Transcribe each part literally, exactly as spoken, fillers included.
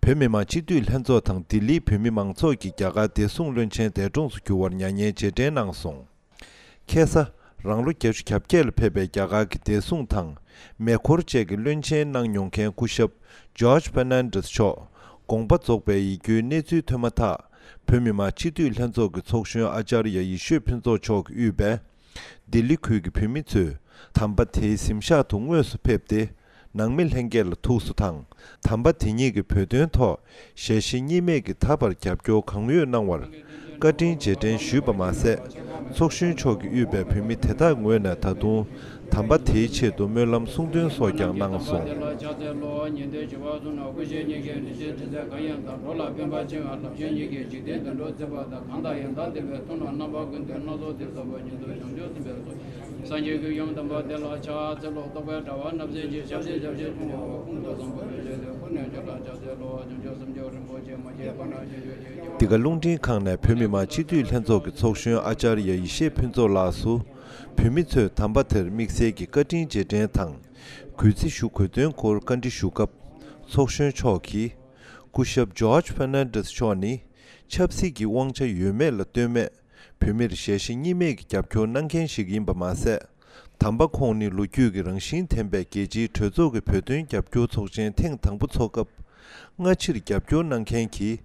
བོད་མི་མང་སྤྱི་འཐུས་ལྷན་ཚོགས་དང་ལྡི་ལིའི་བོད་མི་མང་ཚོགས་ཀྱིས་རྒྱ་གར་བདེ་སྲུང་བློན་ཆེན་འདས་གྲོངས་སུ་གྱུར་བར་མྱ་ངན་རྗེས་དྲན་གནང་སོང་། ཁ་སང་། རང་ལོ་བརྒྱད་ཅུ་གྱ་བརྒྱད་ལ་ཕེབས་པའི་རྒྱ་གར་གྱི་བདེ་སྲུང་དང་མེ་འཁོར་བཅས་ཀྱི་བློན་ཆེན་གནང་མྱོང་མཁན་སྐུ་ཞབས་George Fernandez་མཆོག་དགོངས་པ་རྫོགས་པའི་ཡིད་སྐྱོའི་གནས་ཚུལ་ཐོན་མ་ཐག་བོད་མི་མང་སྤྱི་འཐུས་ལྷན་ཚོགས་ཀྱི་ཚོགས་གཞོན་ཨ་ཅཱརྱ་ཡེ་ཤེས་ཕུན་ཚོགས་མཆོག་གིས་དབུས་པའི་ལྡི་ལི་ཁུལ་གྱི་བོད་མི་ཚོས་དམ་པ་དེའི་གཟིམ་ཤག་ཏུ་དངོས་སུ་ཕེབས་ཏེ། ནང་མི་ལྷན་རྒྱས་ལ་ཐུགས་གསོ་དང་། དམ་པ་དེ་ཉིད་ཀྱིས་བོད་དོན་ཐོག་ཞལ་བཞེས་གཉིས་མེད་ཀྱིས་ད་བར་རྒྱབ་སྐྱོར་གང་ཡོད་གནང་བར་བཀའ་དྲིན་རྗེས་དྲན་ཞུས་པ་མ་ཟད། ཚོགས་གཞོན་མཆོག་གིས་དབུས་པའི་བོད་མི་དེ་དག་ངོས་ནས་ད་དུང་དམ་པ་དེའི་ཆེད་དུ་སྨོན་ལམ་གསུང་འདོན་སོགས་ཀྱང་གནང་སོང་། སངས་རྒྱས་ཀྱི་ཡུམ་དམ་པ་དེ་ལ་ཕྱག་འཚལ་ལོ། རྟོག་པའི་དྲ་བ་བརྣབ་སེལ་གྱི་ཞབས་ཕྱི་ཞབས་ཕྱི་ཕྱུང་བ་ཁུངས་དུ་བཟང་པོ་ཡོད་ཅེས་དེ་ཁོ་ནས་ཁྱོད་ལ་ཕྱག་འཚལ་ལོ། བྱང་ཆུབ་སེམས་མཆོག་རིན་པོ་ཆེ་མ་སྐྱེས་པ་ན་ཆོས་ཕྱོགས་ཀྱི་འདི་ག་རླུང་འཕྲིན་ཁང་ནས་བོད་མི་མང་སྤྱི་འཐུས་ལྷན་ཚོགས་ཀྱི་ཚོགས་གཞོན་ཨ་ཅཱརྱ་ཡེ་ཤེས་ཕུན་ཚོགས་ལགས་སུ། བོད་མི་ཚོས་དམ་པ་དེར་དམིགས་བསལ་གྱི་བཀའ་དྲིན་རྗེས་དྲན་དང་། གུས་བརྩི་ཞུ་དགོས་དོན་སྐོར་བཀའ་འདྲི་ཞུ་སྐབས། ཚོགས་གཞོན་མཆོག་གིས། སྐུ་ཞབས་George Fernandez་མཆོག་ནི། ཆབ་སྲིད་ཀྱི་དབང་ཆ་ཡོད་མེད་ལ་ལྟོས་མེད། བོད་མིར་ཞལ་བཞེས་གཉིས་མེད་ཀྱི་རྒྱབ་སྐྱོར་གནང་མཁན་ཞིག་ཡིན་པ་མ་ཟད། དམ་པ་ཁོང་ནི་ལོ་རྒྱུས་ཀྱི་རང་བཞིན་ལྡན་པའི་རྒྱལ་སྤྱིའི་གྲོས་ཚོགས་ཀྱི་བོད་དོན་རྒྱབ་སྐྱོར་ཚོགས་ཆེན་ཐེངས་དང་པོ་འཚོགས་སྐབས། སྔ་ཕྱིར་རྒྱབ་སྐྱོར་གནང་མཁན་གྱི།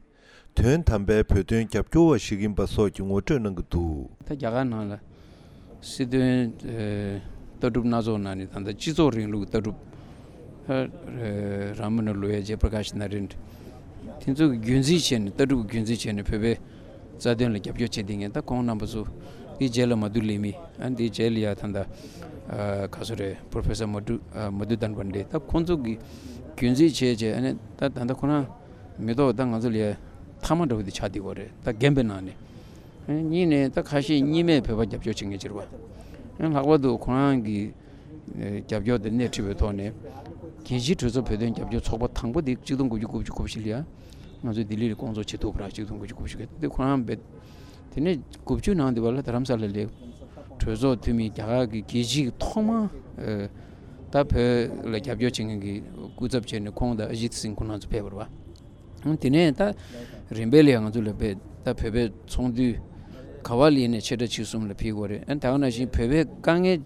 དོན་དམ་པའི་བོད་དོན་རྒྱབ་སྐྱོར་བ་ཞིག་ཡིན་པ་སོགས་ཀྱི་ངོ་སྤྲོད་གནང་གི་འདུག་ད་རྒྱ་གར་ནང་ལ་སྲིད་དོན་ལྟ་གྲུབ་སྣ་ཚོགས་ནང་ནས་ད་ལྟ་སྤྱི་ཚོགས་རིང་ལུགས་ལྟ་གྲུབ། ཨ་རམ་མ་ནོ་ལོ་ཡ་ཇེ་པྲ་ཀཱཤ་ན་རེན་དྲ། དེ་ཚོ་གི་རྒྱུན་འཛིན་བྱས་ནས་ལྟ་གྲུབ་ཀྱི་རྒྱུན་འཛིན་བྱས་ནས་བོད་པའི་རྩ་དོན་ལ་རྒྱབ་སྐྱོར་བྱེད་བསྡད་མཁན་ད་ཁོང་རྣམ་པ་ཚོ། དེའི་རྗེས་ལ་མ་དྷུ་ལེ་མི། ཨ་དེའི་རྗེས་ལ་ཡ་ད་ལྟ་ཨ་ག་ཚོད་རེད། པྲོ་ཕེ་སར་མ་དྷུ་ཨ་མ་དྷུ་དན་པན་ཌེ། ད་ཁོང་ཚོ་གི་རྒྱུན་འཛིན་བྱས་བྱས། ཨ་ནི་ད་ད་ལྟ་ཁོ་རང་མི་ཐོག་ད་ང་ཚོ་ལ་ཡ་མཐའ་མ་འདྲ་བོ་དེ་ཆགས་བསྡད་ཡོད་རེད། ད་རྒན་པའི་ནང་ནས། ཨ་གཉིས་ནས་ད་ཁ་ཞེ་གཉིས་མེད་བོད་པ་རྒྱབ་སྐྱོར་བྱེད་མཁན་ཅིག་རེད་པ། ཨ་ལྷག་པར་དུ་ཁོ་རང་གི་རྒྱབ་སྐྱོར་དེ་སྣེ་ཁྲིད་པའི་ཐོག་ནས། རྒྱལ་སྤྱིའི་གྲོས་ཚོགས་བོད་དོན་རྒྱབ་སྐྱོར་ཚོགས་པ་དང་པོ་དེ་གཅིག་སྟོང་དགུ་བརྒྱ་དགུ་བཅུ་གོ་བཞི་ལ་ཡ། ང་ཚོ་ལྡི་ལི་ལ་སྐོང་ཚོགས་བྱེད་ཐུབ་པ་ར། གཅིག་སྟོང་དགུ་བརྒྱ་དགུ་བཅུ་གོ་བཞི་ག་དེ་ཁོ་རང་བེད། དེ་ནས་དགུ་བཅུ་ནང་དེ་བ་ལ་དྷ་རམ་ས་ལ་ལ་གྲོས་ཚོགས་འཐུས་མི་རྒྱ་གར་གྱི་རྒྱལ་སྤྱིའི་ཐོག་མ། ཨ་ད་བོད་ལ་རྒྱབ་སྐྱོར་བྱེད་མཁན་གྱི་སྐུ་ཚབ་བྱས་ནས་ཁོང་དང་ཨ་ཇིད་སིང་ཁོང་རྣམ་ཚོ་ཕེབས་པ་རེད་པ། དེ་ནས་ད་རིམ་པས་ལ་ང་ཚོ་ལ་བོད་ད་བོད་པའི་ཚོགས་འདུ་ག་བ་ལ་ཡིན་ནའི་ཆེ་ཕྲ་ཆེ་གསུམ་ལ་ཕེབས་དགོས་རེད། ཨ་ད་ག་ནང་བཞིན་བོད་པའི་དཀའ་ངལ་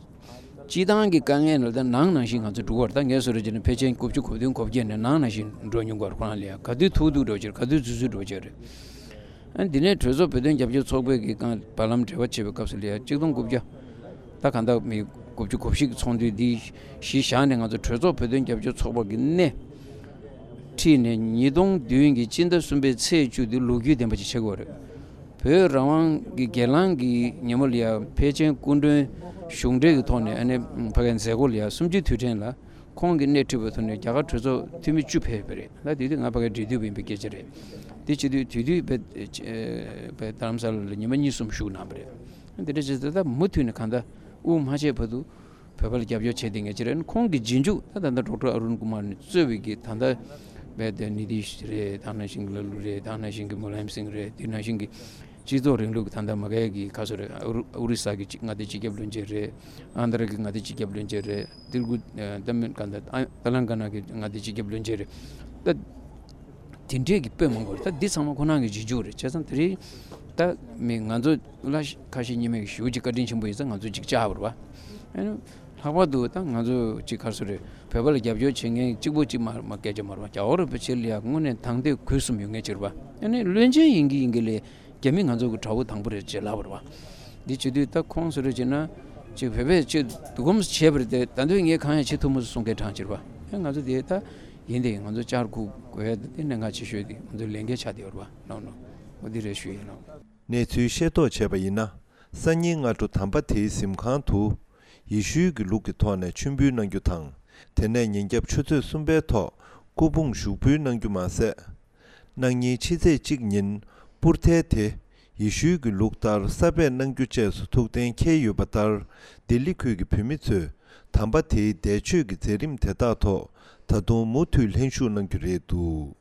སྤྱི་བཏང་གི་དཀའ་ངལ་ལ་ད་ནང་ནང་བཞིན་ང་ཚོ་འགྲོ་གི་རེད། ད་ངས་བཟོ་འདྲ་བྱས་ན་ཕལ་ཆེར་དགུ་བཅུ་གོ་བདུན་གོ་བརྒྱད་ནས་ནང་ནང་བཞིན་འགྲོ་མྱོང་གི་རེད། ཁོ་རང་ལ་ཡ་ག་དུས་ཐུག་ཐུག་འགྲོ་གི་རེད། ག་དུས་འཛུལ་འཛུལ་འགྲོ་གི་རེད། ཨ་འདི་ནས་གྲོས་ཚོགས་བོད་དོན་རྒྱབ་སྐྱོར་ཚོགས་པའི་གི་སྒང་བར་ལམ་འབྲེལ་བ་བྱེད་པའི་སྐབས་སུ་ལ་ཡ་གཅིག་སྟོང་དགུ་བརྒྱ། ད་གང་ལྟར་མི་དགུ་བཅུ་གོ་བཞི་གི་ཚོགས་འདུ་འདི་གཞི་བཞག་ནས་ང་ཚོ་གྲོས་ཚོགས་བོད་དོན་རྒྱབ་སྐྱོར་ཚོགས་པ་གི་སྣེ་ཁྲིད་ནས་ཉིས་སྟོང་བདུན་གྱི་སྤྱི་ཟླ་གསུམ་པའི་ཚེས་བཅུ་འདི་ལོ་རྒྱུས་ལྡན་པ་ཅིག་ཆགས་ཀྱི་ཡོད་རེད། བོད་རང་དབང་གི་སྒེར་ལངས་ཀྱི་ཉིན་མོ་ལ་ཡ་ཕལ་ཆེར་སྐུ་མགྲོན་གཞུང་འབྲེལ་གྱི་ཐོག་ནས་ཨ་ནི་ཕ་གིའི་མཛད་སྒོ་ལ་ཡ་གསུམ་བཅུའི་དུས་དྲན་ལ། ཁོང་གི་སྣེ་ཁྲིད་པའི་ཐོག་ནས་རྒྱ་གར་གྲོས་ཚོགས་འཐུས་མི་བཅུ་ཕེབས་པ་རེད། ད་དེ་དུས་ང་ཕ་གིའི་འབྲེལ་མཐུད་པ་ཡིན་པའི་སྐད་ཆ་རེད། དེ་བྱེད་དུས་དེ་དུས་བོད་བོད་དྷ་རམ་ས་ལ་ལ་ཉི་མ་གཉིས་གསུམ་བཞུགས་གནང་བ་རེད། དེ་འདྲ་བྱས་ཙང་ད་མུ་མཐུད་ནས་གང་ལྟར་དབུ་མ་ཆད་བར་དུ་བོད་པ་ལ་རྒྱབ་སྐྱོར་བྱས་བསྡད་མཁན་ཅིག་རེད། ཁོང་གི་རྗེས་འཇུག་ད་ད་ལྟ་ཌོག་ཊར་ཨ་རུན་ཀུ་མར་ནས་གཙོས་པའི་གི་ད་ལྟ་བོད་དེ་ནི་ཏིཤ་རེད། ད་ནང་བཞིན་གྱི་ལ་ལུ་རེད། ད་ནང་བཞིན་གྱི་མུ་ལ་ཡམ་སིང་རེད། དེ་ནང་བཞིན་གྱི་སྤྱི་ཚོགས་རིང་ལུགས་ཀྱི་ད་ལྟ་མ་གའི་གི་ཁ་སོ་རེད། ཨུ་རུ་ཨུ་རི་ས་གི་གཅིག་མངའ་སྡེ་སྤྱི་ཁྱབ་བློན་ཆེན་རེད། ཨན་དྷ་ར་གི་མངའ་སྡེ་སྤྱི་ཁྱབ་བློན་ཆེན་རེད། ཏིལ་གུ་ཨ་ཏ་མིལ་ག་ད་ཨ་ཏ་ལང་ཀ་ན་གི་མངའ་སྡེ་སྤྱི་ཁྱབ་བློན་ཆེན་རེད། ད་དེ་འདྲས་ཀྱི་དཔེ་མང་པོ་རེད། ད་འདི་ཚང་མ་ཁོ་རང་གི་རྗེས་འཇུག་རེད། བྱས་ཙང་དེ་རིང་ད་མི་ང་ཚོ་ལ་ཁ་ཞེ་གཉིས་མེད་ཀྱི་ཞེ་པོ་ཅིག་བཀའ་དྲིན་ཆེན་པོ་ཡིན་ཙང་ང་ཚོ་ཅིག་བཅར་བ་རེད་པ། ཨ་ནི་ལྷག་པར་དུ་ད་ང་ཚོ་ཅིག་ག་རེ་ཟེར་རེད། བོད་པ་ལ་རྒྱབ་སྐྱོར་བྱེད་མཁན་གཅིག་པོ་གཅིག་མ་མ་སྐད་ཆ་མ་རེད་པ། རྒྱ་གར་བོད་ཆེ་ལ་ཡ་དངོས་གནས་དང་དེ་གུས་གསུམ་ཡོད་མཁན་ཅིག་རེད་པ། ཨ་ནི་བློན་ཆེན་ཡིན་གྱི་ཡིན་གྱི་ལས། རྒྱ་མི་ང་ཚོ་གི་དགྲ་བོ་དང་པོ་རེད་ཅེས་ལབ་པ་རེད་པ། འདི་བྱེད་དུས་ད་ཁོང་ཚོ་རེད་ཅེ་ན། ཅིག་བོད་པས་ཅིག་སྡུག་གོམས་བྱས་པ་རེད་དེ། ད་དུང་ངས་གང་ཡང་བྱེད་ཐུབ་མ་སོང་གསུང་མཁན་གྲངས་ཅིག་རེད་པ། ཨེ་ང་ཚོ་དེ་ད་ཡིན་དེ་ང་ཚོ་བཅར་ཁུག་དགོས་ཡ་དེ་གནད་འགག་ཆེ་ཤོས་དེ་ང་ཚོའི་ལས་འགན་ཆགས་བསྡད་ཡོད་རེད་པ། ནོ་ནོ། འོ་འདི་རེད་ཞུ་ཡིན་ནོ། གནས་ཚུལ་ཤེས་རྟོགས་བྱས་པ་ཡིན་ན། སང་ཉིན་སྔ་དྲོ་དམ་པ་དེའི་གཟིམ་ཁང་དུ། ཡེ་ཤུའི་གི་ལུགས་ཀྱི་ཐོག་ནས་མཆོད་འབུལ་གནང་རྒྱུ་དང་། དེ་ནས་ཉིན་རྒྱབ་ཆུ་ཚོད་གསུམ་པའི་ཐོག་སྐུ་ཕུང་ཞུགས་འབུལ་གནང་རྒྱུ་མ་ཟད། གནངས་ཉིན་ཕྱི་ཚེས་གཅིག་ཉིན་པུར་ཐལ་དེ་ཡེ་ཤུའི་གི་ལུགས་ལྟར་ས་སྦས་གནང་རྒྱུ་བཅས་སུ་ཐུགས་གཏན་འཁེལ་ཡོད་པ་ལྟར། ལྡི་ལི་ཁུལ་གྱི་བོད་མི་ཚོས་དམ་པ་དེའི་འདས་མཆོད་ཀྱི་མཛད་རིམ་དེ་དག་ཐོག་ད་དུང་མུ་མཐུད་ལྷན་ཞུགས་གནང་རྒྱུ་རེད་འདུག།